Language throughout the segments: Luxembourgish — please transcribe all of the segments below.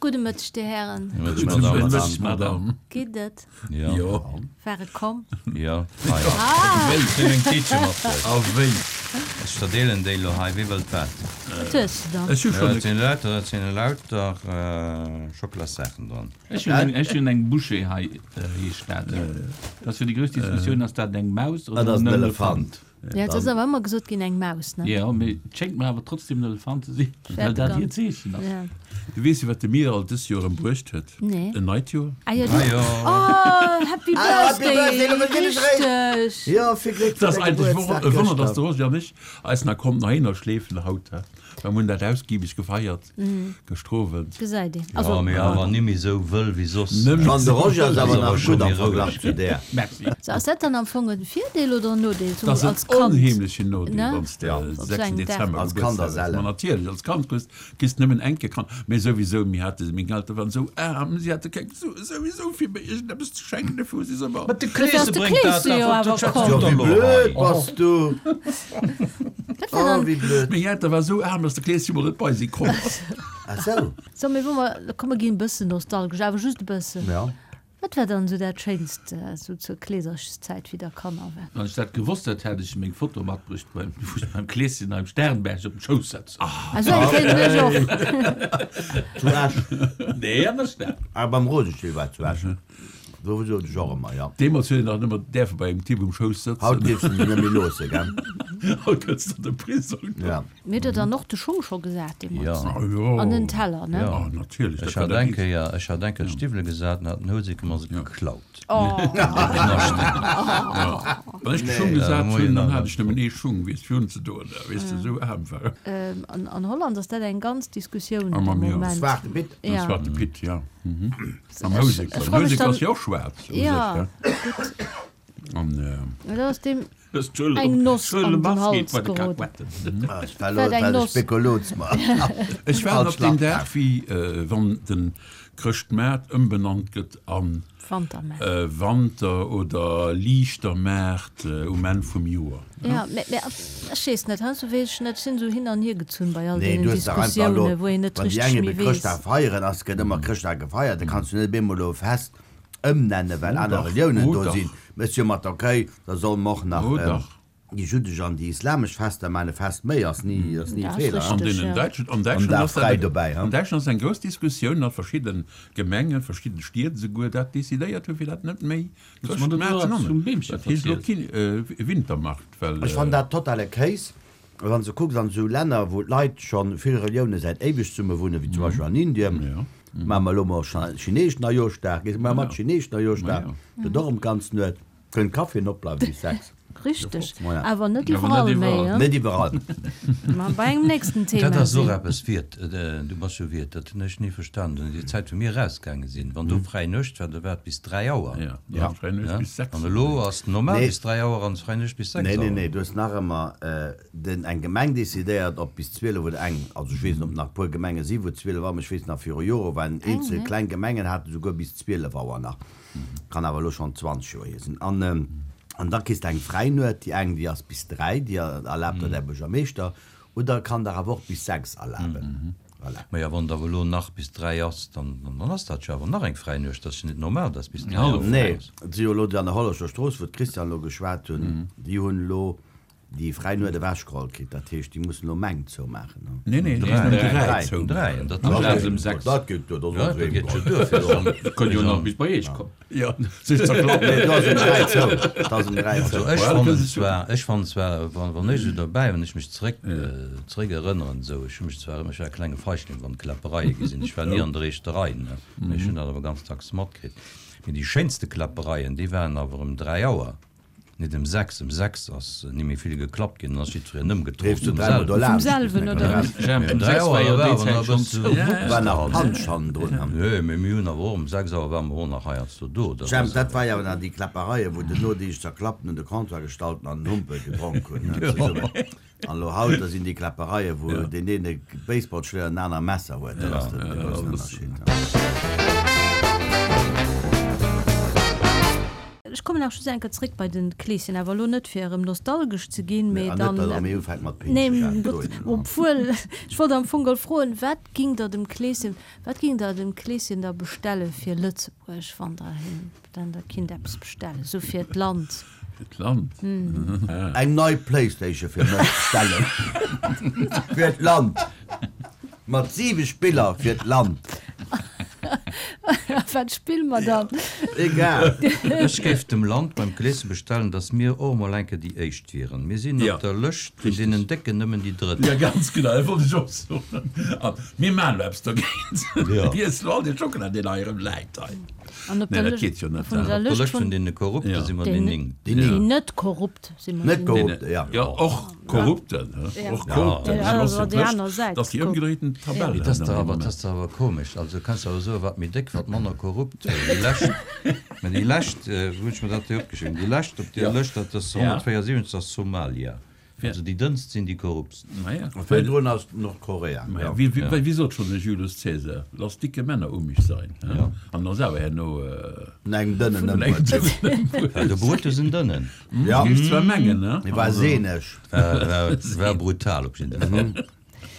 Gudde Mëtteg, Dir Hären. Gudde Mëtteg, Madame. Geet et? Jo. War et komm? Jo. Ah! Ech hunn eng Tiitche matbruecht. A wéi? Ech verdeelen déi elo hei. Wie wëllt wat? Wat hues de dann? Ech hu schonn e. Dat sinn lauter, dat sinn lauter Schockelassaachen dran. Ech hunn eng, ech hunn eng Bouchée hei, heescht dat. Dat ass jo déi grouss Diskussioun, ass dat eng Maus oder en Elefant? Ja, et ass awer ëmmer gesot ginn, eng Maus, ne? Jo, mee et schéngt mer awer trotzdem en Elefant ze sinn, well dat hiert Zeechen ass. Ja. Du weess jo, wat de Miral dës Joer erëm bruecht huet? Nee. En neit Joer. Ah jo, du. Oh, Happy Birthday! Richteg! Jo, vill Gléck Et fir ass däi eigentlech Gebuertsdag e Wonner, dass gëschter. de Roger an ech eis nach konnten heihinner schleefen haut. Mer hunn dat ausgiebig gefeiert gëschter Owend. Gesäit een. Jo, mee awer nimmi sou wëll wéi soss. An de Roger ass awer nach gutt am Verglach zu där. Merci. So, ass dat dann am Fong en Virdeel oder en Nodeel, Dat sou ass als en Kand? onheemlechen Nodeel, Ne? wann s de Op sou 6 engem Dag. Dezember Als Kand Gebuertsdag ass hues. Ma ellen. natierlech, als Kand kriss kriss nëmmen eng Kéier Kand. Mee souwisou, mir hate, meng Eltere waren sou aarm, si hate keng Sue souwisou fir mir iergendeppes ze schenken, dofir hu si se ëmmer. Mä de Dofir ass Kleese de bréngt dat Kleese jo awer, awer dat komm. Jo, schwätzt wéi elo blöd hei. bass du! Dat war Oh, dann. wéi blöd. Meng Eltere war sou aarm, datt de Kleeschen mol net bei si komm ass. Ah sou. So, mee wou mer, komm mer ginn e bëssen nostalgesch, awer just e bëssen. Ja. Wat war dann esou dat Schéinst esou zur Kleeserchszäit, wéi der Kanner waart? Wann ech dat gewosst hätt, hätt ech meng Foto matbruecht, wou ech beim Kleeschen am Sternberg op dem Schouss setzen. Ah, esou eng kennen ech och. Zu Esch? Nee, an der Stad. Ah, beim Rosenstiel war et zu Esch. Do sot ech och ëmmer, jo. Deemools huet een nach nëmmer däerfe bei engem Typ um Schouss sëtzen. Haut dierfs de dech net méi loosse, gell? Haut gëtt s de an de Prisong. Ja. Mir hutt der dann och de Schung scho gesat deemools? Ja. Jo. An den Teller, ne? Ja, natierlech. Ech hat eng Kéier, ech hat eng Kéier d'Stiwwele gesat an hat den Houseker mer se geklaut. Oh. Wann ech de Schung gesat hunn, dann hat ech nëmmen ee Schung, weess fir unzedoen, weess de, esou aarm war ech. An Holland ass dat eng ganz Diskussioun Ah, de ma mir. Moment. Zwarte Pitt. Den Ja. Zwarte Pitt, ja. Am Ech- Houseker. ech Den fro mech Houseker dann- ass jo och schwaarz u sech, Ja, gell? gutt. An, Dat ass deem eng Noss an den Hals geroden. Ech war Wat eng elo Noss. Spekuluz mer. Ech waarden op deen Dag, wéi wann de Chrëschtmaart ëmbenannt gëtt an Wantermaart. Wanter oder Liichtermaart um Enn vum Joer. Ja, mä mä ech weess net, heiansdo weess ech net, ech sinn esou hin an hier gezunn bei all Nee, deenen du hues dach einfach elo, Diskussiounen, wou een net wann déi richteg eng méi ebe weess. Chrëschtdag feieren, ass gëtt ëmmer Chrëschtdag gefeiert, da kanns du net op eemol elo e Fest ëmnennen, well Oh aner dach, Reliounen oh do dach. sinn. Méchs jo mat, okay, da solle mer och nach Oh dach. déi juddesch an déi islamesch Fester maachen. E Fest méi ass ni, ass ni e Dat ass Feeler, An richteg, deenen ja. Däitschen, an An Däitschland Dag ass dat fräi e, dobäi, an Däitschland ass eng grouss Diskussioun, datt verschidde Gemengen, verschidde Stied esouguer dat decidéiert hunn, fir dat net méi Chrëschtmaart ze nennen. Dat heescht elo keen Wintermarkt, well. Ech fannen dat totale Kéis. Wann s de kucks an esou Länner, wou d'Leit scho vill Relioune säit éiweg zesumme wunnen, wéi zum Beispill an Indien, maache mer elo mol chineesch Neijooschdag, gees mar mat chineesch Neijooschdag, gëtt och ëm d'ganz Nuet, kënnt Kaffien opbleiwen bis 6. Richteg, awer net iwwerall méi, hein? Net iwwerall. Ma bei engem nächsten Thema Dat ass och sinn. eppes, Wiert, du bass jo Wiert, dat hunn ech ni verstanen, déi Zäit wou mir erausgaange sinn, wann do fräi Nuecht war, da war et bis 3 Auer. Ja, fräi Nuecht bis 6. An elo ass normal bis 3 Auer an fräi Nuecht bis 6 Nee, Auer. nee, nee, du hues nach ëmmer den, eng Gemeng decidéiert, ob bis 12 oder eng, also ech weess net, ob nach e puer Gemenge si wou 12 Auer, mä ech weess nach viru Jore waren eenzel kleng Gemengen haten esouguer bis 12 Auer nach, kann awer elo schonn 20 Joer hier sinn. An, an da kriss de eng fräi Nuet, déi eng déi ass bis 3, déi erlaabt der däi Buergermeeschter, oder kann der awer och bis 6 erlaben. Voilà. Maja, wann et awer elo nach bis 3 ass, dann dann ass dat jo awer nach eng fräi Nuecht. Dat ass jo net normal, dass bis 3 Auer fräi Nee, ass. et si jo elo déi an der Hollerscher Strooss, wou d'Christiane elo geschwat hunn, déi hunn elo déi fräi Nuet ewechgeholl kritt. Dat heescht, déi mussen elo meng zoumaachen. Nee, nee, déi mussen ëm 3 zoumaachen. An dat Amplaz ëm 6. Dat geet duer, dat ass Dat geet jo duer fir Dir kënnt jo nach bis bei iech kommen. Jo, sech zerklappen. Nee, do ass ëm 3 zou. Et ass ëm 3 zou. Also ech fannen zwar, ech fannen zwar, wann, wann ech esou derbäi, wann ech mech zeréck, zeréck erënneren esou, ech hu mech zwar ëmmer, ech war e klenge Feigling wann et Kläppereie gi sinn, ech war ni an der éischter Rei, ne, mä ech hunn dat awer ganz dacks matkritt. Mee déi schéinste Kläppereien, déi waren awer ëm 3 Auer. Net em 6, em 6 ass ni méi vill geklappt ginn, dann ass jiddwereen ëmgetrollt Leefs du vum dräimol do selwen. Vum laanscht? selwen, oder? Jemp, Mee um em 3 6 war Auer jo war déi awer Zäit nach e schonn bësse zou. War nach Punch hannendrun. Nee, mee mir hunn awer och um 6 Auer ware mer och nach heiansdo do. Dat Jemp, ass dat war jo awer nach déi Kläppereien, wou den Nodeeg zerklappten un de Comptoir gestallten an den Humpel gedronk hunn, ne, zesummen. An elo haut, da sinn déi Kläppereien, wou deen een e Baseballschléier an den aner e Messer huet. Dat ass de groussen Ënnerscheed. Ech kommen. nach just eng Kéier zréck bei den Kleeschen, awer elo net fir erëm nostalgesch ze ginn, mee An net, dann, datt der méi ufänkt mat nee, Pinschen dohinner. obwuel, ech wollt am Fong geholl froen, wat gingt der dem Kleeschen, wat gingt der dem Kleeschen da bestelle fir Lëtzebuerg, wann der him, wann der kinnt eppes bestellen, esou fir d'Land? Fir d'Land? Eng nei Playstation fir mech bestellen. Fir d'Land. Mat 7 Spiller fir d'Land. Wat spille mer dann? Egal. Ech géif dem Land beim Kleeschen bestellen, dass mir och emol eng Kéier déi Éischt wieren. Mir sinn op der Lëscht vun deenen Décken nëmmen déi Drëtt. Jo, ganz genau, dat wollt ech och soen. A mir maachen elo eppes dogéint. Mir iessen elo all dee Schockela, deen hei erëm läit hei. An op der Nee, dat geet jo net. Vun der Op der Lëscht vun deene Korrupte si mer déi Néngt. Déi net korrupt si mer Net déi korrupt, ja. Jo, och Korrupten, he? Och Korrupten. Ja, also déi aner Säit. Dat ass déi ëmgedréiten Tabell. Dat ass dach awer, dat ass dach awer komesch. Also kanns de awer soen, wat méi déck, wat manner korrupt. Déi lescht, mä déi lescht, wou hunn ech mer dat hei opgeschriwwen? Déi lescht op deer Lëscht, dat ass 174, ass Somalia. Also déi dënnst sinn déi korruptst. Virdrun ass Nordkorea. Maja, wéi sot schonn de Julius Caesar, Lass dicke Männer um mich sein. An ass awer herno. Vun engem dënnen ëmbruet. Well de Brutus en dënnen. Ja. Géif zwar mengen, ne? Hie war seeneg. War brutal op jidde Fall.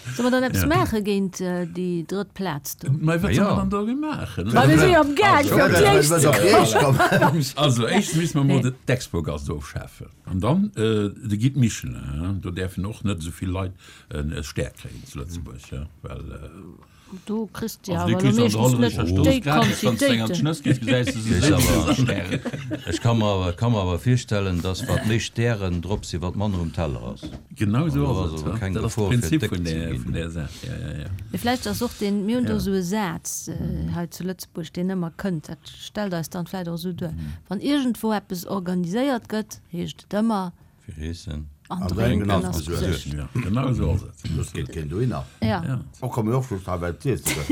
Solle mer dann eppes maache géint déi drëtt Plaz do? Mä wat solle mer dann do maachen? Ma mir si jo am Gaang fir op déi éischt ze kommen. Also éischtens misste mer mol d'Expogast ofschafen. An dann de Guide Michelin, do däerfen och net esou vill Leit e Stär kréien zu Lëtzebuerg, well. Do kriss de awer elo meeschtens net déi Quantitéiten. Ech ka mer ka mer awer virstellen, dass wat méi Stären drop sinn, wat manner um Teller ass. Genau esou ass et. Dat ass de Prinzip vun där Saach. Ja, ja, ja. Mee vläicht ass och deen, mir hunn do esou e Saz hei zu Lëtzebuerg, deen ëmmer kënnt, dat stellt eis dann vläicht och esou duer, Wann iergendwou eppes organiséiert gëtt, heescht et ëmmer, Fir Eessen. An Drénken ass gesuergt. Ja, genau esou ass et. Soss geet keen dohinner. Ja. Och komm mir och just hei well d'Iesse gëtt.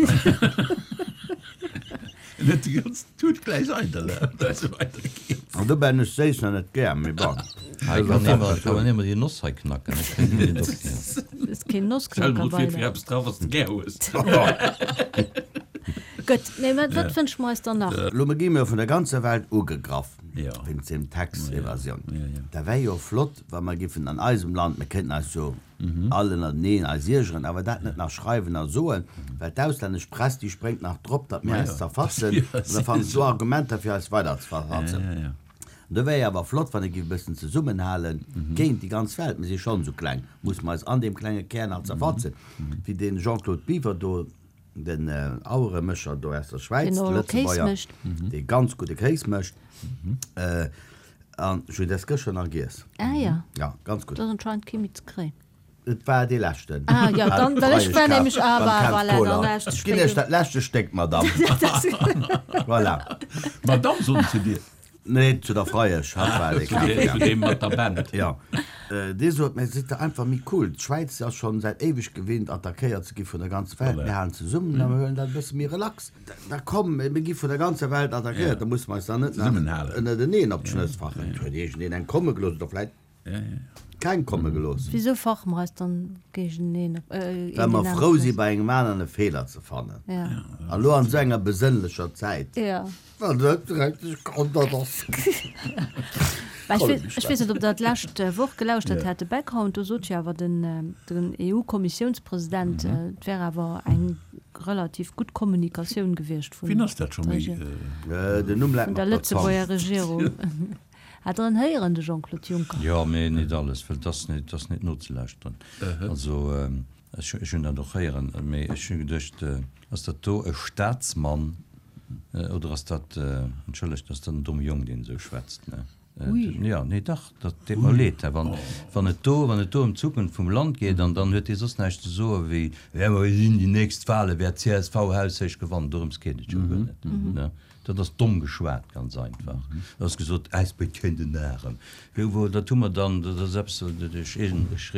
En huet déi ganz Tut gläich eidel, well se weidergeet. An dobäi hunn ech séiss nach net gär, mee bon. Hei kann ee mer, kann een mer déi Noss hei knacken. Ech kréien déi net op hier. Ass keen Nossknacker Stell mol bei vir, fir eppes drauf, wat s de gär hues. Gutt, mee wat wënsche mer eis dann nach? Elo gi mir vun der ganzer Welt ugegraff wéinst deem Tax-Evasion. Da wär jo flott, wa mer giffen an eisem Land, mir kéinten eis jo all ënnerteneen eis iergeren, awer dat net nach schreiwen a soen, well d'auslännesch Press, déi spréngt nach drop, datt mir eis zerfatzen, an da fannen se do Argumenter, fir eis weider ze verfatzen. An do wär jo awer flott, wann ee giff e bëssen zesummenhale géint déi ganz Welt. Mir si schonn esou kleng, musse mer eis an deem klenge Kär nach zerfatzen, wéi dee Jean-Claude Biver do, Den Aueremécher do aus der Schwäiz, de Lëtzebuerger, dee ganz gudde Kéis mécht. An ech hunn dës gëschter nach giess. Ah ja. Ja, ganz gutt. Do ass anscheinend kee méi ze kréien. Et war dee leschten. Ah ja, dann, well ech war nämlech, ah voilà, voilà, dann war ech ze Ech ginn iech spéit. dat leschte Stéck, Madamm. Voilà. Madamm, soen se zu dir? Nee, zu der Freiesch, hatt war dee Kafe, Zu deem mat der Band. Jo. Dee sot, Mä sidd der einfach méi cool. D'Schwäiz ass schonn säit éiweg gewinnt, attackéiert ze gi vun der ganzer Welt. Mir halen zesummen a mir huelen dat e bësse méi relax. Da komm, mir gi vun der ganzer Welt attackéiert, da musse mer eis dann net nach ënnerteneen op d'Schnëss fachen. Et huet iergendeen eng komme gelooss oder vläicht keng komme gelooss. Wisou fache mer eis dann géigeneen op? Well mer frou si bei engem aneren e Feeler ze fannen. An elo an esou enger besënnlecher Zäit. Wann dat dreckeg Grondert ass. Ech weess net, ob Der d'lescht Woch gelauschtert hat, de Background, do sot jo awer den EU-Kommissiounspresident, et wär awer eng relativ gutt Kommunikatioun gewiescht vun Wien ass dat scho méi? Den Numm läit mer op der der Zong. Lëtzebuerger Regierung. Hat Der en héieren, de Jean-Claude Juncker? Jo, mee net alles, well et ass net, et ass net nozelauschteren. Also ech hunn dat och héieren, mee ech hu geduecht, ass dat do e Staatsmann oder ass dat, entschëllegt, ass dat en domme Jong, deen esou schwätzt, ne? Ui. Jo, nee, dach, dat deet mer leed, hè, wann, wann et do, wann et do ëm d'Zukunft vum Land geet, an dann huet dee soss näischt ze soe wéi, jo, mer sinn déi nächst Wale wäert d'CSV haushéich gewannen, dorëms geet et jo guer net, ne? Dat ass domm geschwat, ganz einfach. Et ass gesot, äis béid kéint en Arem. Jo, wou, dat hu mer dann, dat ass eppes, ech ech rieden mech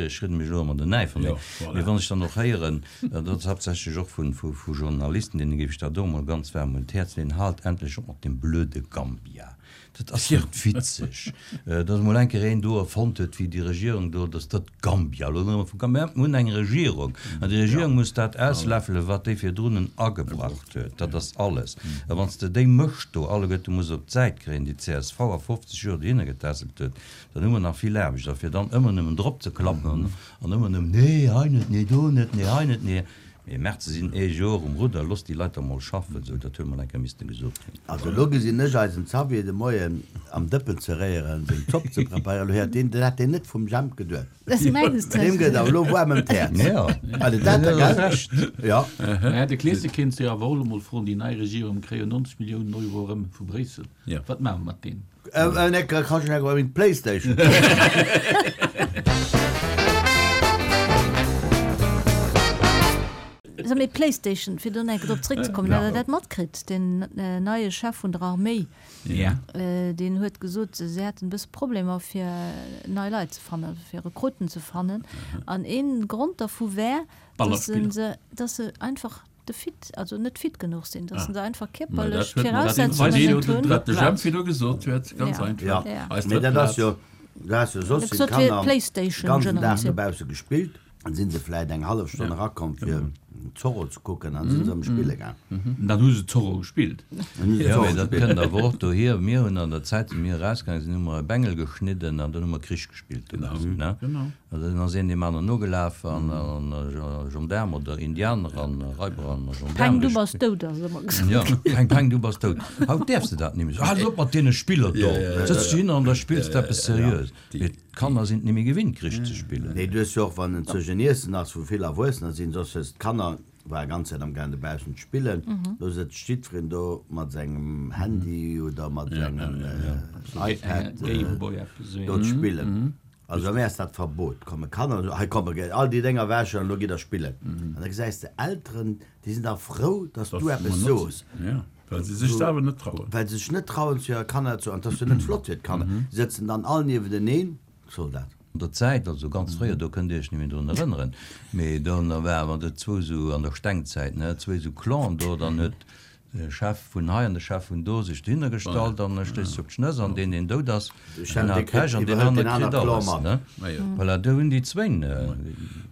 elo ëmmer den Näifer, mee, mee wann ech dann och héieren, dat ass haaptsächlech och vu, vu, vu Journalisten, deene géif ech dat och emol ganz waarm un d'Häerz leeën, Haalt endlech op mat deem blöde Gambia! Dat ass net witzeg, datt emol eng Kéier een do erfonnt huet, wéi déi Regierung do, datt dat Gambia, elo nëmme vu Gambia, mir hunn eng Regierung an déi Regierung muss dat ausläffelen, wat déi virdrunnen agebracht huet. Dat ass alles. A wann s de déi Mëscht do alleguerte muss op d'Säit kréien, déi csv a 50 Joer dohinner getässelt huet, dann hu mer nach vill Aarbecht. A fir dann ëmmer nëmmen drop ze klappen an ëmmer nëmmen, nee hei net, nee do net, nee hei net, nee. Mee merkt, se sinn ee Joer um Rudder, losst déi Leit da mol schaffen, esou, dat huet mol eng Kéier misste gesot ginn. Also elo gesinn ech eisen Xavier de Moien am Dëppen ze réieren, seng Zopp ze preparéieren. Elo héiert deen, dat hat deen net vum Jemp geduet. Mengs de? Deem gëtt awer elo waarm ëm d'Häerz. Jo, Also dat da, gell? Recht. Jo. Mä de Kleesche kéint se jo awer och elo mol froen, déi nei Regierung kréie jo 90 Milliounen Euro erëm vu Bréissel, wat maache mer mat deenen? Playstation. So, mee Playstation, fir do nach eng Kéier drop zréckzekommen, hutt Der dat matkritt? Den neie Chef vun der Arméi, deen huet gesot, se hätten e bësse Problemer fir nei Leit ze fannen, also fir Rekruten ze fannen. An ee Grond dervu wär, datt se einfach de fit, also net fit genuch sinn, dass se einfach kierperlech d'Viraussetzungen net hunn. Wat de Jemp virdu gesot huet, ganz einfach. Ja, mee dat ass jo, du has jo soss sinn d'Kanner de ganzen Dag dobausse gespillt, dann si se vläit eng hallef Stonn erakomm fir Zorro ze kucken an si se erëm spille gaang. Dann hu se Zorro gespillt. Jo, mee dat kënnt awer och dohier, mir hunn an der Zäit, wéi mir erausgaange sinn, hu mer e Bengel geschnidden an dann hu mer Krich gespillt dobaussen, ne? Also dann ass een deem aneren nogelaf an Gendaarm oder Indianer an Raiber an Gendaarm. Peng, du bass dout, ass ëmmer gesot ginn. Jo, Peng, Peng, du bass dout. Haut däerfs de dat nimmen. Hal op mat deene Spiller do! Sëtz du hin an da spills de eppes seriös. Mee d'Kanner sinn et nimméi gewinnt, Krich ze spillen. Nee, du hues jo och, wann en zwëschen Iessen ass, wou vill Erwuessener sinn, soss hues d'Kanner war ganz Zäit am gaang dobaussen ze spillen, do sëtzt jiddwereen do mat sengem Handy oder mat sengem iPad do ze spillen. Also bei mir ass dat Verbot, komme Kanner, hei komm, all déi Dénger wäschen an elo gitt der spillen. An da gesäis de Elteren, déi sinn da frou, datt s du eppes sos. Well se sech selwer net trauen. Well se sech net trauen zu hire Kanner ze, an 't ass jo net flott fir d'Kanner, déi sëtzen dann all niewenteneen, soll dat. An der Zäit, also ganz fréier, do kënnt Dir Iech net méi drun erënneren, mee do war, wann et zwou esou an der Stengzäit, ne, zwou esou Clanen do, dann huet de Chef vun hei an de Chef vun do sech dohinner gestallt an e stéisst sech op d'Schnëss an deen, deen dout ass, deen hat Pech an deen anere kritt alles, ne. Voilà, do hunn déi zwéin.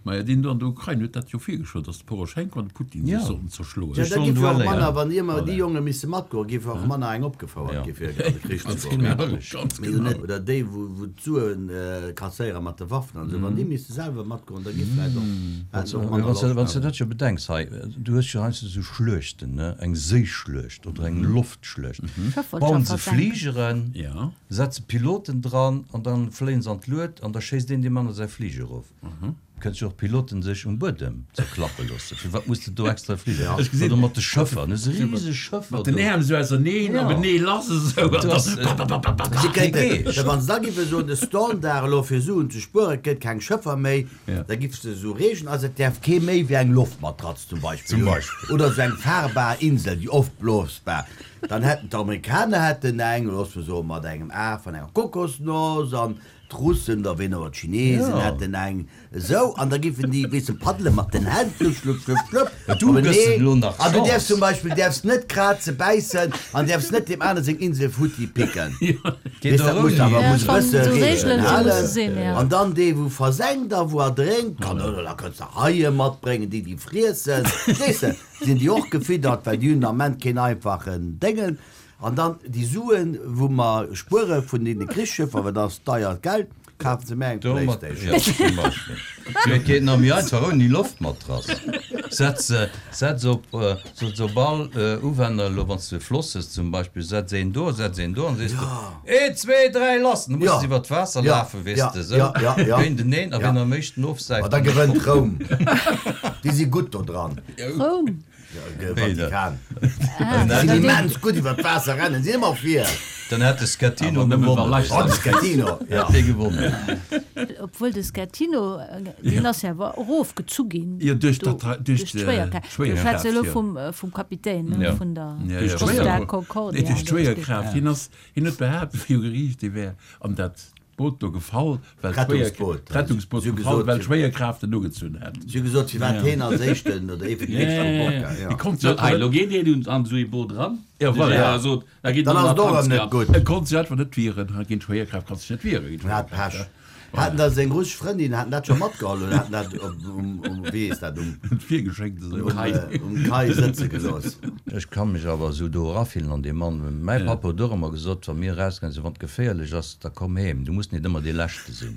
Maja, deen do an der Ukrain huet dat jo virgeschloen, datt de Poroschenko an de Putin sech sollten zerschloen. Jo, da giff jo och manner, wann iermer déi Jonge misse matgoen, giff och manner eng opgefouert gi fir an de Krich ze goen. Mee jo net, oder déi wou d'Suen kasséiere mat de Waffen an esou, wann déi misste selwer matgoen, da giff vläit och, hätten se och manner Loscht. Wann s de dat jo bedenks hei, du hues jo heiansdo esou Schluechten, ne, eng Séischluecht oder eng Loftschluecht, bauen se Fligeren, setze Piloten dran an dann fléien se an d'Lued an da schéisst een deem anere säi Fliger erof. Kënnt jo och d'Piloten sech um Buedem zerklappe loossen. Firwat muss de do extra fligen? Ech gesinn. Oder mat de Schëffer, ne, se riseg Schëffer Mat den Äerm esou auserneen, op enee lass esou an da papapapapap. Si kéinten, da wann se da giffe soen, de Standard elo fir Suen ze spueren, et gëtt keng Schëffer méi, da giff se esou reegen, also et däerf kee méi wéi eng Loftmatratz zum Beispill hunn, oder esou eng fahrbar Insel, déi opblosbar. Dann hätten d'Amerikaner hätten eng, loosse mer soen, mat engem Af an enger Kokosnoss an D'Russen oder ween och, d'Chinesen hätten eng esou an da giffen déi, weess de, paddele mat den Hänn, schlupp, schlupp, schlupp, schlupp, Du gëss en elo nach An du däerfs zum Beispill däerfs net kraze, bäissen an däerfs net deem anere seng Insel futti picken. Weess, dat muss awer muss e bësse Reegelen halen. An dann dee wou versenkt a wou erdrénkt, kann oder da kënns de Haie matbréngen, déi déi friessen, verstees de, sinn déi och gefiddert, well déi hunn den Ament keen einfachen Déngen. An dann déi Suen, wou mer spuere vun deene Krichsschëffer, well dat ass deiert Geld, kafe se mir eng Playstation. Jo, zum Beispill. Mee et geet nach méi einfach, ouni Loftmatrass. Setz se, setz op, setz op all Uwänner, elo wann s de e Floss hues zum Beispill, setz een do, setz een do an sees de, Een, zwee, dräi, lass! Dann muss se iwwer d'Waasser lafen, weess de, esou géinteneen, a wien am éischten ofsäift, Ma da gewënnt Roum. Déi si gutt do dran. Roum? Vatikan. Déi sinn immens gutt iwwer d'Waasser rennen, sinn ëmmer vir. Dann hätt de Schettino gewonnen. Oh, de Schettino, jo. Hätt dee gewonnen. Obwuel de Schettino, deen ass jo awer erofgezu ginn. Jo, duerch d'Schwéierkraaft. Ech schwätze elo vum Kapitän, vun der Costa Concordia. Duerch d'Schwéierkraaft. Hien ass, hien huet behaapt viru Geriicht, hie wär an dat. D'Boot do gefall, well d'Rettungsboot gefall, well d'Schwéierkraaft en ugezunn hätt. Si hu gesot, firwat heen als éischten oder ee vun den éischten u Bord war. Jo. Sot, hei, lo geet een an esou ee Boot eran, de Gérard sot, da geet en an den Atlantik. Gutt. E konnt sech einfach net wieren, géint d'Schwéierkraaft kanns de dech net wieren, géint Hat d'Schwéierkraaft. Pech. Haten da seng russesch Frëndin, haten dat scho matgeholl oder haten dat op, um, um, wéi heescht dat, um. Virgeschéckt esou. Um, um Quai sëtze gelooss. Ech ka mech awer esou do erafillen an dee Mann. Mäi Papp huet och ëmmer gesot, wa mir erausgaange sinn, wann et geféierlech ass, da komm heem, du muss nit ëmmer dee Leschte sinn.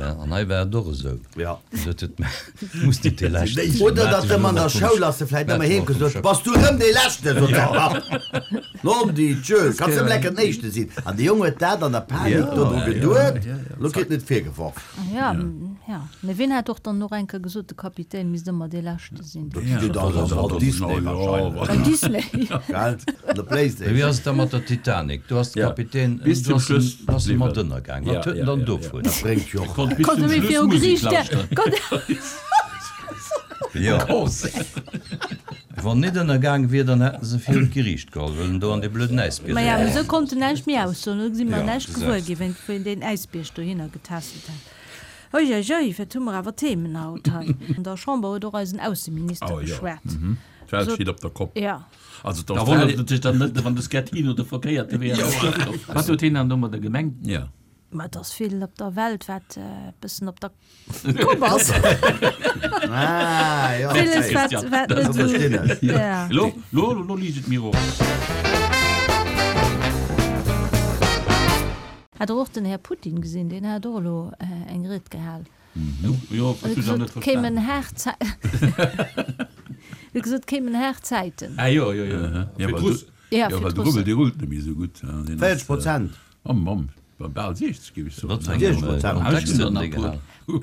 An hei war et och esou. Ja. Gesot huet, mä du muss nit dee Leschte sinn. Oder datt ëmmer an der Schoul ass e vläicht ëmmer heem gesot, Bass du erëm dee Leschte, sot säi Papp. Non di Dieu, kanns nëmmen lecker den Éischte sinn. An de Jong huet dat an der Panik do dru geduet, lo kritt en et virgeworf. Ja, ja. Mee wien hat och dann och eng Kéier gesot, de Kapitän misst ëmmer dee Leschte sinn? Dat ass Walt Disney wahrscheinlech. Walt Disney. Gell? An der Playstation. Mee wéi ass et da mat der Titanic? Do ass de Kapitän, Bis do zum ass en, Schluss ass e mat bliwwen. ënnergaang. Wat huet en dann dovun? Dat bréngt jo och Konnt bis Konnt zum e méi Schluss viru Musek Geriicht, lauschteren. konnt. Jo. Wann net ënnergaang wier, dann hätten se virun d'Geriicht geholl, well en do an dee blöden Äisbierg Maja, eran mee ass. esou konnt en näischt méi aussoen. Elo si mer näischt gewuer gesäis. ginn, wéi wéi deen Äisbierg dohinner getässelt hat. Uiuiui, wat hu mer awer Themen haut hei. An der Chamber huet och eisen Ausseminister Oh jo, geschwat. d'Welt Sot, steet op der Kopp. ja. Also Da wonnert d'Australien. et sech dann net, wann de Schettino de verkéierte Wee ass. Wat huet hien dann do mat der Gemeng? Ja. Ma et ass vill op der Welt, wat e bëssen op der Kopp ass. Ah, jo, Villes, okay. wat, wat net Dat verstinn esou, ech. ja. Lo, lo, lo liicht et mir och. Hat der och den Här Putin gesinn? Deen hat och elo eng Ried gehal. Jo, ech hunn se net Gesot, kéimen verstanen. haart Zäi, huet gesot, kéimen haart Zäiten. Ah jo, jo, jo, Ja, fir well du, d'Russen. Ja, ja, fir well de d'Russen. Rubbel, dee rullt net méi esou gutt. Deen ass, 40 Prozent. Mamm, Mamm. Bal 60 géif ech soen. Wat fir engem Kontext huet en déi gehal?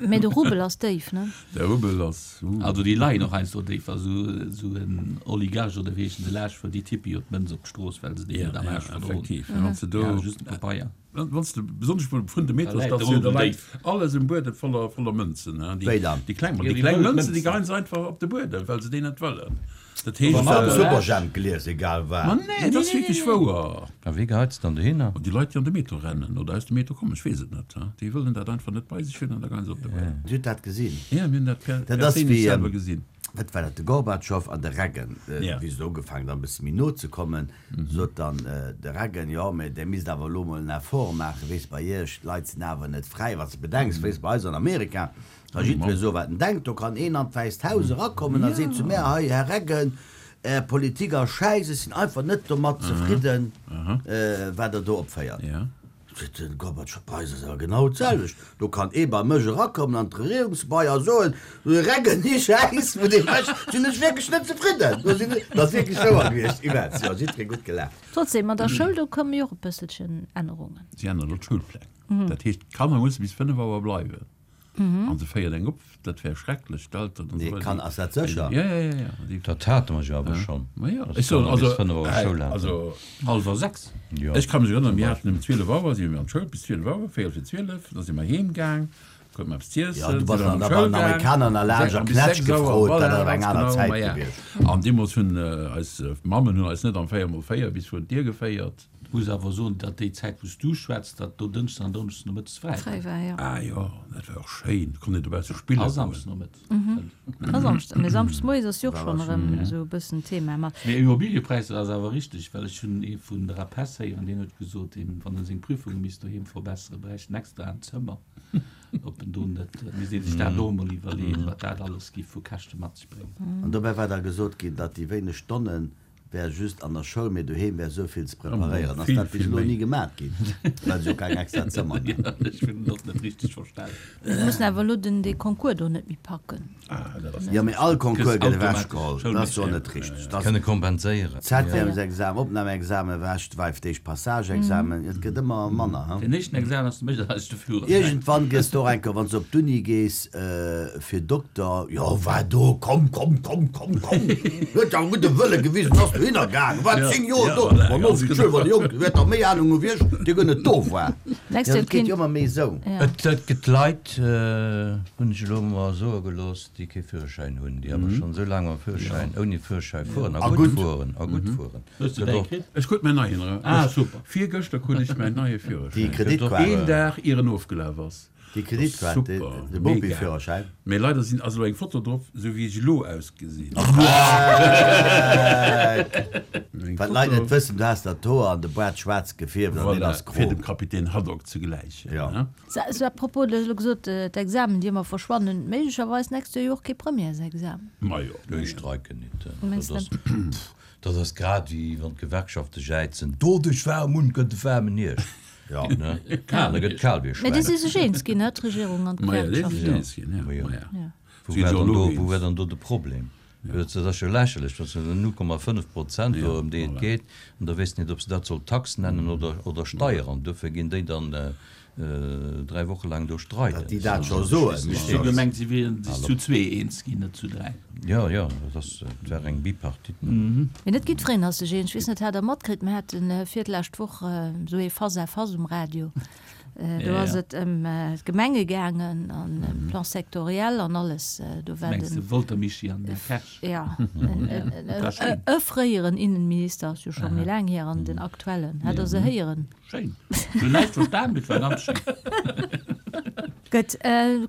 Mee de Rubel ass déif, ne? De Rubel ass. Also déi leien och heiansdo déif. Also esou en Oligarch oder wéi heeschen se laasch wou déi tippe jo d'Mënz op d'Strooss well se déi net am Aarsch verdroen. Effektiv. Wann s de do. Ja, just de Pabeier. Wann s de besonnesch vun de Da läit de Metrostatioun, da Rubel läit déif. alles um Buedem voller voller Mënzen. Wéi dann? Déi kleng, Jo, déi déi kleng wëll Mënzen, déi Mënzen. geheien se einfach op de Buedem, well se déi net wëllen. Dat Du heescht. hues dat Superjhemp gelies, egal Ma wat. nee, dat ass wierklech wouer. A wie geheit se dann dohinner? Déi Leit, déi an de Metro rennen oder aus dem Metro kommen, ech weess et net, déi wëllen dat einfach net bei sech hunn an da geien se op de Buedem. Dir hutt dat gesinn? Ja, mir hunn dat per Dat ass perséinlech wéi, selwer gesinn. wat war dat, de Gorbatschow an de Reagan, Ja. wéi se do ugefaangen hunn, e bësse méi no ze kommen, sot dann de Reagan, jo, mä Dir misst awer elo mol en Effort maachen, weess, bei Iech, d'Leit sinn awer net fräi, wat s de bedenks, weess, bei eis an Amerika, Ka jiddweree soen, wat en denkt. Do kann een an d'Wäisst Haus erakommen a seet zu mär, Hei, Här Reagan, Är Politik ass schäiss, ech sinn einfach net domat zefridden, wat Der do opféiert. Seet den Gorbatschow, Bei eis ass awer genau d'selwecht. Do kann ee bei mech erakommen an d'Regierungsgebai a soen, Reagan, déi Schäiss, wou Dir mécht, sinn ech wierklech net zefridden. Do sinn ech, dat ass wierklech wouer gewiescht, immens. Jo, jiddweree gutt gelaacht. Trotzdem, an der Schoul, do komme jo och e bësselchen Ännerungen. Si änneren elo d'Schoulpläng. Dat heescht, d'Kanner musse bis 5 Auer bleiwen. An se féiert eng op, dat wär schrecklech, d'Elteren an Nee, esou weider. kann, ass dat sécher? Ja, ja, ja, ja. Déi, Dat hate mer jo awer schonn. ma ja, Dass ech soen, d'Kanner also, bis 5 Auer Schoul haten. also, Hallwer 6. Jo, ech ka mech erënneren, zum mir haten Beispill. um 12 Auer, si mir an d'Schoul, bis 12 Auer, véierel fir 12, da si mer heem gaang, kruten mer eppes z'iessen, Ja, du si bass mer an an der d'Schoul bei den gaang, Amerikaner an der Lager an bis Knätsch 6 Auer, gefrot, dat voilà, ass awer eng ganz aner genau, Zäit ma ja. gewiescht. An deemools hunn eis Mammen hunn eis net am 4 mol 4 bis virun d'Dier geféiert. Muss awer soen, datt déi Zäit wou s du schwätz, datt do Dënschdes an Donneschdes nomëttes fräi war. Fräi war, jo. Ah jo, dat war och schéin, do konnt een dobausse spille A goen. Samschdes nomëttes. A Samschdes, mee Samschdes moies ass jo och schonn erëm esou e bëssen Thema mat. Mee Immobiliëpräisser ass awer richteg, well ech hunn ee vun der APESS héieren, deen huet gesot, deen, wann e seng Prüfunge misst doheem verbesseren, bräicht en extra en Zëmmer, ob en do net, misst ee sech dat och emol iwwerleeën, wat dat alles giff vu Käschte mat sech bréngen. An dobäi war da gesot ginn, datt déi wéineg Stonnen Wär just an der Schoul, mee doheem wär sou vill ze preparéieren. Ass dat bis elo ni gemat ginn, well se jo keng extra Zëmmer hunn? Ech hunn et och net richteg verstan. Mir mussen awer elo den dee Concours do net méi packen. Jo, mee all Concours gëtt ewechgeholl. Dat ass jo net richteg. Dat Kënne kompenséieren. Septièmesexamen, Opnamexamen ewech, d'Weif d'éischt Passageexamen, et gëtt ëmmer manner, he? Den éischten Examen ass de mécht eis de Führerschäin. Iergendwann gëss de och eng Kéier, wann s de op d'Uni gees, fir Dokter, jo, war do, komm, komm, komm, komm, komm, huet awer gudde Wëlle gewisen, ass. dohinner gaangen, war 10 Joer do. Ma no, wéi schön, wann déi Jonk, dir huet dach méi Ahnung hu wéi ech, dir guer net do war. Jo, dat geet jo ëmmer méi esou. Et gëtt Leit, hunn ech elo mer soe gelooss, déi kee Führerschäin hunn, déi awer schonn esou laang mam Führerschäin, ouni Führerschäi fueren a gutt fueren, a gutt fueren. Hues de däi kritt? Ech krut mäin neien erëm. Ah, super. Virgëschter krut ech mäin neie Führerschäin. Déi Kreditkaart. Een Dag ier en ofgelaf ass. Déi Kreditkaart, de Bopi-Führerschäin. Mee leider sinn ass elo eng Foto drop, sou wéi ech elo ausgesinn. Wat d'Leit net wëssen, du has der d'Hoer an de Boart schwaarz gefierft an deen ass gro. Fir dem Kapitän Haddock ze gläichen. Jo. Sou, à propos, du hues elo gesot, d'Examen, déi ëmmer verschwannen, méiglecherweis d'nächst Joer jo och kee Premièresexamen. Majo. Ech streiken nit. Mengs de? Dat ass grad wéi wann d'Gewerkschafte jäizen, Doduerch waarm un, gëtt e waarmen Hierscht. Jo. Ne? Kal, da gëtt kal wéi e Mä déi Schwäin. si sech eens ginn, ne, d'Regierung an Maja, déi si sech d'Gewerkschaften. eens ginn, ja. Majo. Maja. Ja. Wou Si war jo dann elo do, wou war eens. dann do de Problem? Dat ass jo lächerlech, dat sinn 0,5 Prozent do, ëm déi et Voilà. geet. An da weess net, ob se dat soll Tax nennen oder, oder Steier. An duerfir ginn déi dann 3 Woche laang do streiden. Datt déi dat scho soen, Ech hu gemengt, si wieren sech zu zwee eens ginn, net zu 3. Jo, jo, dat ass, et war eng Bipartite. Mee net jiddwereen ass sech eens. Ech weess net, hat Der matkritt, mir hate virlescht Woch esou ee Face-à-face um Radio. Do ass et ëm d'Gemenge gaangen an ëm Plan sectoriel an alles. Do war Mengs den. de Wolter Mischii an den Här Kersch? Jo, e fréieren Innenminister, ass jo scho méi laang hier, an den aktuellen. Hat Der se héieren? Schéin. Ech hunn näischt verstan, mee et war ganz schéin. Gutt,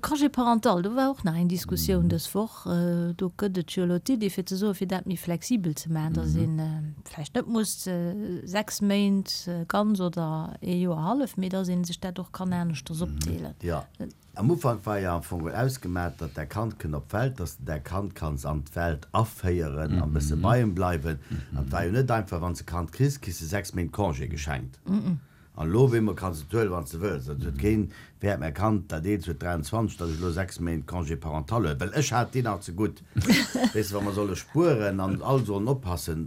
Congé parental, do war och nach eng Diskussioun dës Woch. Do gëtt et jo elo d'Iddi fir ze soen, fir dat méi flexibel ze maachen, datt ee vläicht net muss 6 Méint ganz oder ee Joer hallef, mee datt ee sech dat och kann aneschters opdeelen. Jo, am Ufank war jo am Fong ausgemat, datt däi Kand kënn op d'Welt, datt s de däi Kand kanns an d'Welt aféieren an e bësse bei em bleiwen. An et war jo net einfach, wann s de Kand kriss, kriss de 6 Méint Congé geschenkt. An elo op eemol kanns de et huelen, wann s de wëlls. Et huet keen wäert mäi Kand, dat eelst huet 23, datt ech elo 6 Méint Congé parental huelen, well ech hat déi nach ze gutt. Weess de, wa mer solle spueren an all sollen oppassen,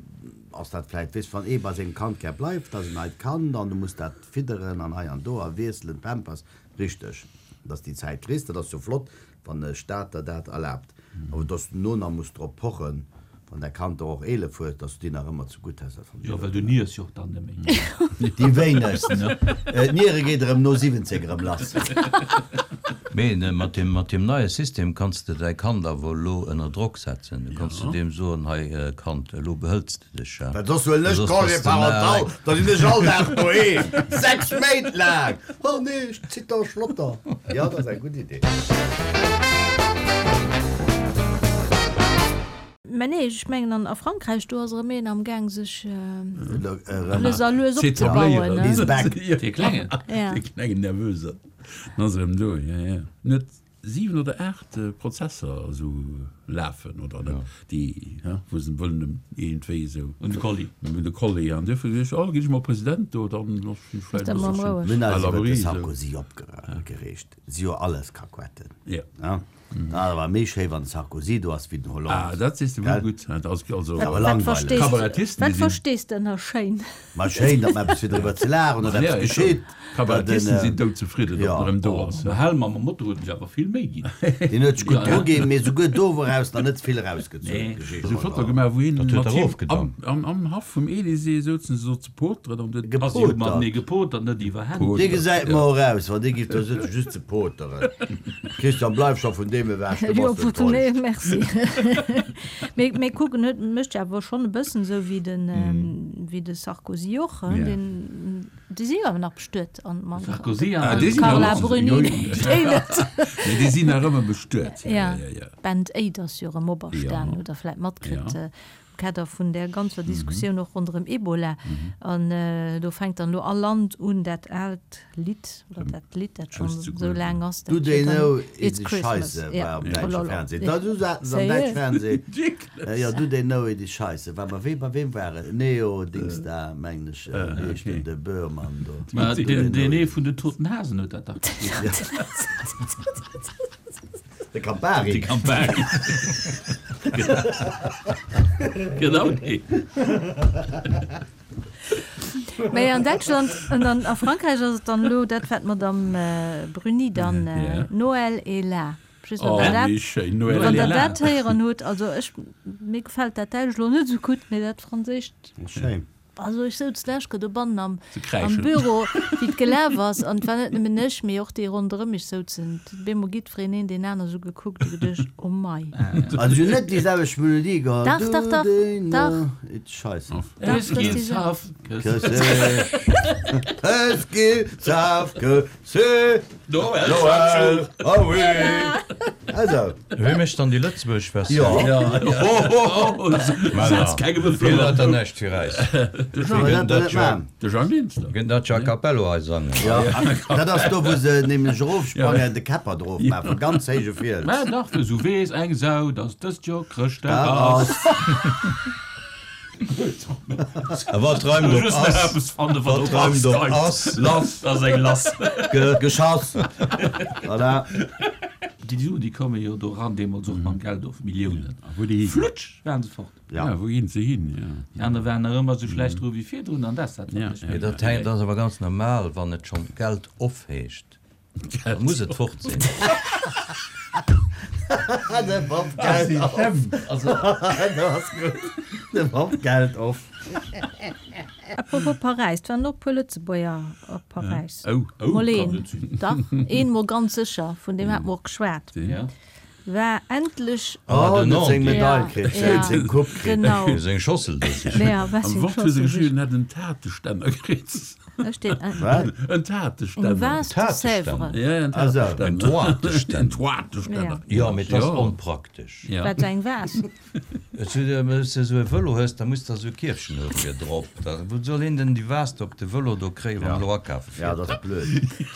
ass dat vläicht, weess de, wann ee bei sengem Kand gär bleift, dat ass en neit Kand an du muss dat fidderen an hei an do a wiesselen, Pampers. Richteg, dass déi Zäit kriss, dat ass jo flott, wann e Staat der dat erlaabt. Awer dass du no nach muss drop pochen, wann däi Kand der och 11 huet, dass du déi nach ëmmer ze gutt häss, dat fannen ech Jo, och well net du gutt. niers jo och dann net méi. Déi wéinegst. D'Niere geet erëm no 17 erëm lass. Mee mat deem, mat deem neie System kanns de däi Kand awer elo ënner Drock setzen. Du kanns du deem soen, hei Kand, elo behëls de dech, ja. Well soss huelen ech Congé parental, da sinn ech all Dag doheem, 6 Méint laang. Oh nee, ech zitter Schlotter. Jo, dat ass eng gutt Idee. Mä nee, ech mengen an a Frankräich, do ass erëm een am Gaang sech lues a lues opzebauen, ne? He's back. Dee Klengen. Dee klengen Nervösen ass erëm do, jo, jo. Net 7 oder 8 Prozesser esou lafen oder net, déi, wou se wëllen em iergendwéi esou. Un de Kolli. Un de Kolli. An duerfir gesot, oh, ginn ech mol President do, dann ass ech vläicht e bësselchen Mir hunn à eis iwwer de l'abri esou. Sarkozy opgereegt. Si jo alles Kakuetten. Jo. Dat ass awer méi schéi, wann de Sarkozy do ass, wéi den Hollande. Ah, dat sees de wuel gutt. Dat ass also. Awer Wat langweileg. verstees, Kabarettisten, wat déi sinn. verstees de ënner schéin? Ma schéin, datt mer eppes fir driwwer ze laachen, datt Ja, eppes ist schon. geschitt. Kabarettisten sinn doudzefridden, datt en erëm do ass. De Helm mam Motor huet sech awer vill Méi ginn. Deen huet sech gutt druginn, mee souguer do woraus nach net vill erausgezunn. Nee. Esou Foto gemaach, wou hien Dat huet mat der him ofgedankt. am, am, am Haff vum Elysée souzen se so ze poteren an huet. Ass jo matenee gepotert, net iwwer Hänn. Dee gesäit mer och aus, wann dee giff do sëtzen, just ze poteren. Christian, bleif scho vun deem ewech, du Jo, bass enttäuscht. nee, merci. Mee, mee kucken, huet, mécht jo awer schonn e bëssen esou wéi den, wéi de Sarkozy och, hein, deen, déi si jo awer nach bestuet an mam Sarkozy an Ah, déi sinn Carla nach, Bruni, jo, jo. déi net. Nee, déi sinn nach ëmmer bestuet, jo, Ja, jo, jo. Band Aid ass jo erëm operstan, Ja. hutt Der vläit matkritt. Ja. Kader vun där ganzer Diskussioun och ronderëm Ebola. An do fänkt dann elo all Land un, dat aalt Lidd, oder dat Lidd, dat schonn esou laang ass, Do dat they huet dann know It's it is Christmas. Scheisse Ja. war am däitsche Trololol. Fernseh. Da du haten se am däitsche Fernseh. Jo, do they know it is Scheisse. War bei wem, bei wem war et? Neo Dings da, mengen ech, wéi heescht den, de Böhrmann do. Ma deen ee vun den Toten Hasen huet dat dach gespillt. De Campari. De Campari. Genau dee. Mä an Däitschland an an a Frankräich ass et dann elo dat, wat d'Madame Bruni dann Noël est là. Just wann der dat, wann der dat héieren hutt. Also ech, mir gefält dat Däitsch elo net esou gutt, mee dat Franséischt. Schéin. Also ech souz d'lescht Kéier dobannen am, am Büro, wéi et gelaf ass, an et war net nëmmen ech, mee och déi ronderëm mech souzen, op eemol jiddwereen een deen aner esou gekuckt a geduecht, oh mei. Also si hunn net déi selwecht Melodie geholl. Dach, dach, dach, dach. Scheisse. Dach, dat ass déi selwecht. Es gibt Safke. C'est Noël, Noël, ah oui! Also. Wie mécht dann déi lëtzebuergesch Versioun? Jo. Wien huet dann näischt fir äis? De Jang Linster. Gëtt dat a cappello hei sangen? Jo, dat ass do, wou se nämlech erofsprangen, de Käpper drof maachen, vu ganz héije Fiels. Mä dach, wëll sou weess eng Sau, dass dëst Joer Chrëschtdag ass. A wat reimt op ass? Wat reimt op ass? Lass, ass eng lass. Geschass. Voilà. Déi Suen, déi komme jo do eran, deemools och mam Geld of, Milliounen. Flutsch, waren se fort. Ja, wou ginn se hin? Déi aner waren nach ëmmer esou schlecht dru wéi virdrun an dat ass dat, wat mech Mee dat ass awer ganz normal, wann et schonn Geld of heescht. Da muss et fort sinn. De Bob Geld off. Dat ass gutt. De Bob Geld off. Apropos Paräis, et waren och e puer Lëtzebuerger op Paräis. Oh, oh, Mol een, dach, een mol ganz sécher, vun deem hate mer och geschwat. War endlech. Oh, en huet seng Medail kritt, en huet seng Coupe kritt. Genau. Seng Schossel do sichen. Ja, war Am seng Wort hu se Schossel geschriwwen, sichen. en hätt en Tateständer kritt. Da steet en. Wat? En Tateständer. Eng Vase de Sèvres. Ja, en Ah, sou. Tateständer. En Toateständer. En Toateständer. Jo, mee et ass onpraktesch. Ja. Wat, eng Vase? Wann s de esou e Vëlo hues, da muss der esou e Kierfchen hu fir drop. Da wou soll een denn déi Vase do op de Vëlo do kréien, wann en elo akafe Ja, fiert? dat ass blöd.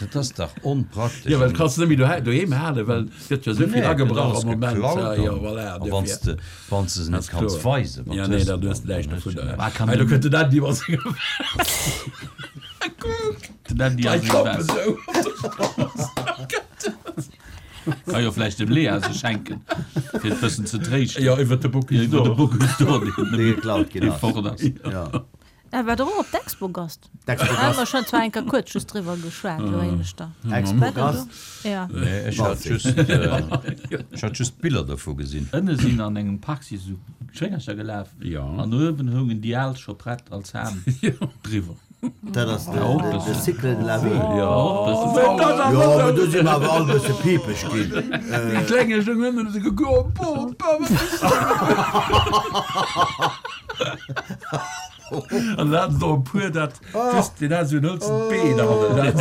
Dat ass dach onpraktesch. Jo, well dat kanns de net méi dohei doheem halen, well et gëtt jo esou vill Nee, et gëtt agebrach alles am Moment. geklaut Ja, an jo, voilà, a wann s dofir. de wann s de se net Ass kanns kloer. weisen, wat Ja, nee, hues de dann hues dann? de näischt Dann hues de dovunner. näischt. Wat kann Hei, do den kënnt den Andy mat senger Vase. Kuck, den Andy a d'Leit seng klappen Vase. esou op der Strooss. Ka jo vläicht dem Lea se schenken, fir et bëssen ze tréischten. Jo, iwwer de Bocuse Iwwer de d'Or. Bocuse d'Or, deen Dee geklaut ginn dee ass. fort ass. Ja. Er war doch och op d'Expogast. D'Expogast. Hu mer schonn zwar eng Kéier kuerz just driwwer geschwat, elo éineschter. Expogast. Ja. Nee, ech hat just, ech hat just Biller dovu gesinn. Ënne sinn an engem Park si sou Schwéngercher gelaf. Ja. An uewen houngen déi al scho prett als Ham driwwer. Dat ass de Cycle de la vie. Jo, mee do si mer awer all e bësse piipeg ginn. Déi klenge Jongen hunn esou gekuckt, Oh, Bopa, wat ass dat? An dann haten se och e puer dat just, deen hat esou en hëlzent Been hannen.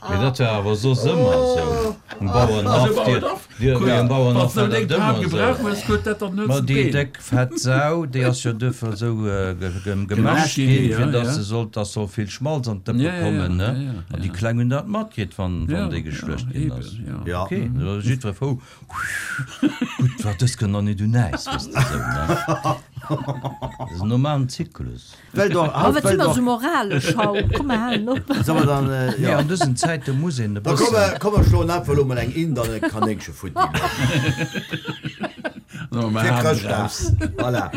Mee dat war awer soss ëmmer esou um Bauerenhaff. Dir, dir um Bauerenhaff war dat ëmmer esou. Ma déi déck fett Sau, déi ass jo duerfir esou gemäscht ginn, fir dass se sollt, dass soll vill Schmalz an d'Dëppe kommen, ne? An déi Kleng hunn dat matkritt, wann déi geschluecht ginn ass. Ok, da ass jiddweree frou, Gutt, war dës kënnt nach net un äis, weess de esou, ne? Dat ass en normalen Zyklus. Well doch, Oh, wat well si mer doch. sou moralesch haut. Komm, mer halen op. Soll mer dann, Nee, jo. an dësen Zäite muss een e Da komm, bëssen. komm mer schloen einfach elo mol eng Ind an e Kanéngche futti. Fir Chrëschtdag. Voilà.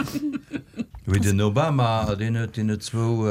Wéi den Obama, deen huet deene zwou,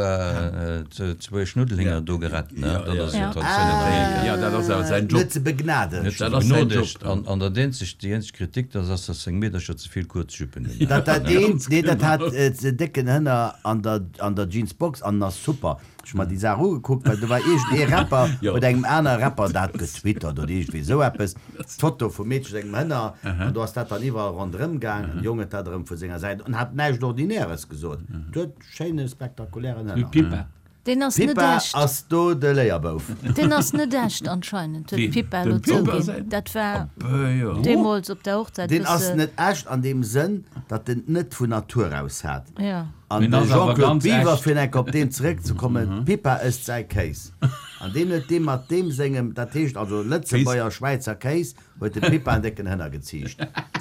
zwou Schnuddelhinger do gerett, ne? Dat ass jo Traditioun an Amerika. Jo, dat ass awer säin Job. Net ze begnadegt. Net ze Dat ass säin begnodegt. Job. An, an dat eenzegt, déi eenzeg Kritik, dat ass, datt seng Meedercher ze vill kuerz Juppen hunn. Dat dat eent, nee, dat hat ze décken Hënner an der, an der Jeansbox an ass super. Ech hu mer déi Saach ugekuckt, well do war iergend ee Rapper, huet engem anere Rapper dat getwittert oder iergendwéi esou eppes, d'Foto vum Meedche sengem Hënner, an do ass dat dann iwwerall ronderëm gaang, an de Jong huet dat erëm vu senger Säit an hat näischt Ordinäres gesot, huet schéine spektakulären Hënner. Pippa. Deen ass net Pippa echt. ass do de Léierbouf. Deen ass net echt anscheinend, huet d'Pippa elo zouginn. Dat war deemools op der Hochzäit Deen ass bësse. net echt an deem Sënn, datt en et net vun Natur aus hat. Ja. An Deen de ass awer Jean-Claude ganz Biwer, echt. fir enk op deen zeréckzekommen, d'Pippa ësst säi Kéis. An deen huet dee mat deem sengem, dat heescht also Lëtzebuerger, Schwäizer Kéis, huet de Pippa en décken Hënner geziicht.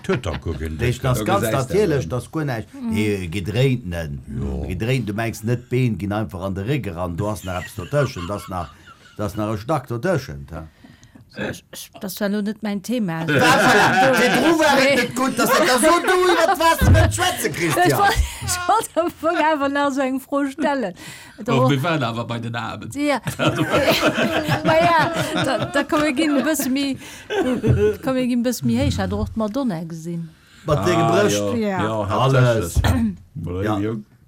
Huet dach guer keen Deecht décken. ass ganz natierlech, dass guer näischt, nee, gedréintenen, gedréint, du mengs net, d'Been ginn einfach an de Réck eran, do ass nach eppes dotëschent, ass nach, do ass nach e Stack dotëschent, he. Dat ass zwar elo net mäin Thema. Virdru war et net gutt, dass dat da so du iwwer d'Waasser wëllt schwätzen, Christian. Ech wollt am Fong awer nach esou eng Fro stellen. Oh, mir waren awer bei den Aarmen. Ja. Ma ja, da, da komm mir ginn e bësse méi, komm mir ginn e bësse méi héich. Hat Der och d'Madonna gesinn? Mat senge Brëscht. Ja. Alles. Ja.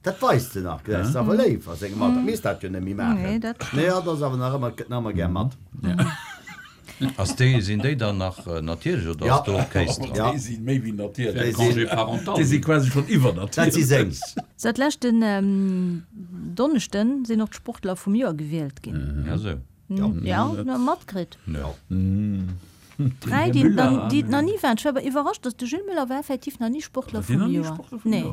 Dat weist se nach, gesäis de, awer léif a sengem Alter misst dat jo net méi maachen. Nee, dat Nee, hatt ass awer nach ëmmer, gëtt nach ëmmer gär mat. Ass déi, sinn déi dann nach natierlech oder ass do och Kéis dran? Ja. Déi si méi wéi natierlech. Déi sinn. Congé parental. Déi si quasi schonn iwwernatierlech. Dat si seng. Seit leschten Donneschden sinn och d'Sportler vum Joer gewielt ginn. Ja, sou. Ja, matkritt. Ja. 3, déi déi et nach ni waren. Ech war awer iwwerrascht, dass de Gilles Muller war effektiv nach ni Sportler vum Joer. Nee.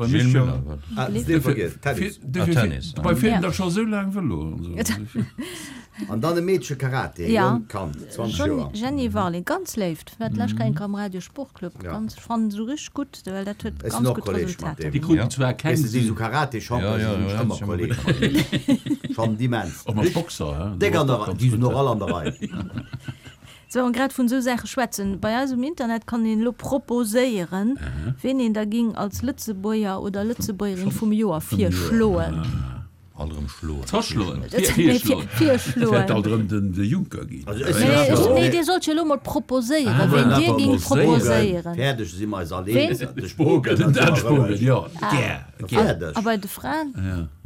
Gilles Muller, wat? Ah, dee vergiess, Tennis. Ah, Tennis. Dobei fiert en da scho sou laang Vëlo an esou. An dann e Meedche Karate, e jonkt Kand, 20 Joer. Jenny Warling, ganz léift, war d'lescht Kéier am Radio Sportclub. Ganz, ech fannen se richteg gutt, well dat huet Ech sinn ganz och gutt Kolleg mat Resultater. deem. Déi kruten zwar keng Weess de, si Suen. sou Karate-Champion, si sinn ech ëmmer Kolleg mat deem. Schonn immens. Och mat Boxer, he? Déck an der Rei, déi sinn och all an der Rei. Sou, an grad vun esou Saache schwätzen, bei eis um Internet kann een elo proposéieren, ween een da ging als Lëtzebuerger oder Lëtzebuergerin vum Joer virschloen. Alt erëm schloen. Zerschloen. Nee, virschloen. Wäert alt erëm den de Juncker ginn. Also ech sinn Nee, awer och. nee, dir sollt jo elo mol proposéieren, ween dir gingt proposéieren. Fäerdeg si mer eis all Ween? eens, de Spogen. Den Dan Spogen, jo. Gär. Fäerdeg. A bei de Fraen?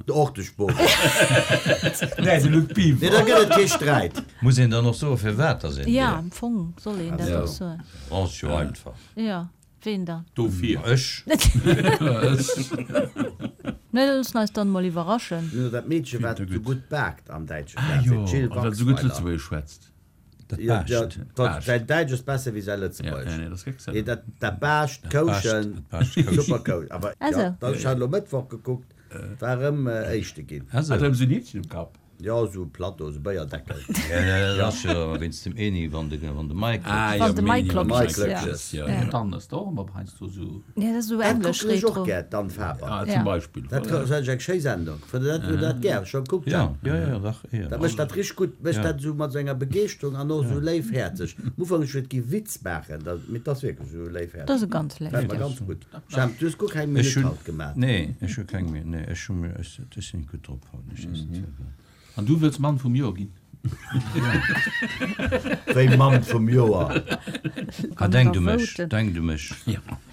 Och de Spogen. Nee, de Luc Biver. Nee, da gëtt et kee Sträit. Muss een dann och soen, firwat dass een Ja, dee. am Fong soll een dat och soen. Ass jo einfach. Jo, ween dann? Dofir. Ech. Nee, da loossen eis dann emol iwwerraschen. Mir hunn dat Meedche wat esou gutt baakt am däitsche Ah Fernseh, jo, d'Jill a wat esou gutt Waxweiler. Lëtzebuergesch schwätzt. Dat Jo, baascht. dat, säin Däitsch ass besser wéi säi Ja, Lëtzebuergesch. nee, dat ass Nee, exzellent. dat, dat baascht, d'Kouschen, Dat baascht d'Kouschen. super Kousch. Awer Ah jo, sou. dat, ech hat elo Mëttwoch gekuckt, war erëm Éischte ginn. Ah sou. Hat erëm esou en Hittchen um Kapp. Jo, esou Plateau, esou Béierdeckel. Ja, ja, dat ass jo wéinst dem Eni, wann de, wann de Mike Ah, Wann jo, de Mike Mini, kloppt. Mike Ja. Klöckches. Ja, Ja. ja. Dann ass der och ëmmer heiansdo esou. Ja, dat ass esou Dat englesch kucken ech och Retro. gär, d'Anne Faber. Ah, Ja. zum Beispill. Dat Voilà. ass eng schéi Sendung. Fënnt Der dat, hutt Der dat gär scho gekuckt, Ja, Jean? ja, ja, dach, eher. Dat mécht dat richteg gutt, mécht Ja. dat esou mat esou enger Begeeschterung an och esou léifhäerzeg. Am Ufank ech huet gi Witz maachen, dat, mee 't ass wierklech esou léifhäerzeg. Dat ass e ganz Gefält mer léift, ja. ganz gutt. Jemp, du hues guer keng Ech Minutt hunn, haut gemaat. nee, ech hu keng Minutt, nee, ech hu mir, ech, ech sinn gutt drop haut, ech weess net firwat. An du wëlls Mann vum Joer ginn? Wéi Mann vum Joer? Ah, denkt u mech, denkt u mech,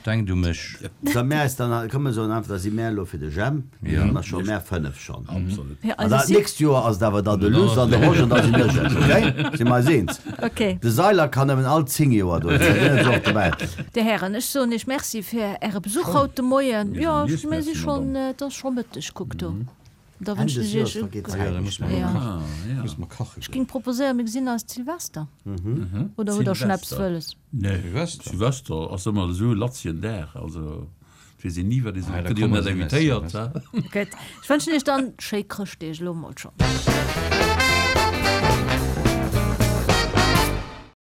denkt u mech. Sa mär eis dann, komm mir soen einfach, da si mär elo fir de Jemp, da si mer scho mär 5 schonn. Absolut. An dat nächst Joer ass et awer da de Luss an de Roger an da sinn ech et, okay? Si mer eis eens? Okay. De Seiler kann nëmmen all 10 Joer do sinn, deen ass och dobäi. Dir Hären, ech soen Iech Merci fir Äre Besuch haut de Moien. Jo, mir si schonn, et ass scho Mëtteg, kuck do. Da Enn wënschen des ech Joers Iech e vergeet gutt. d'Zäit méi schnell. Ja. Muss mer kache Ech goen. géing proposéieren, mir gesinn eis d'Silvester. Oder hutt Der schonn eppes Silvester. wëlles? Nee, Silvester? Silvester ass ëmmer esou e latzien Dag, also et weess een ni wat ee soll. Ah, da Gëtt jo komme net se nees, invitéiert, Silvester. he? Gutt, ech wënschen Iech dann schéi Chrëschtdeeg elo mol schonn.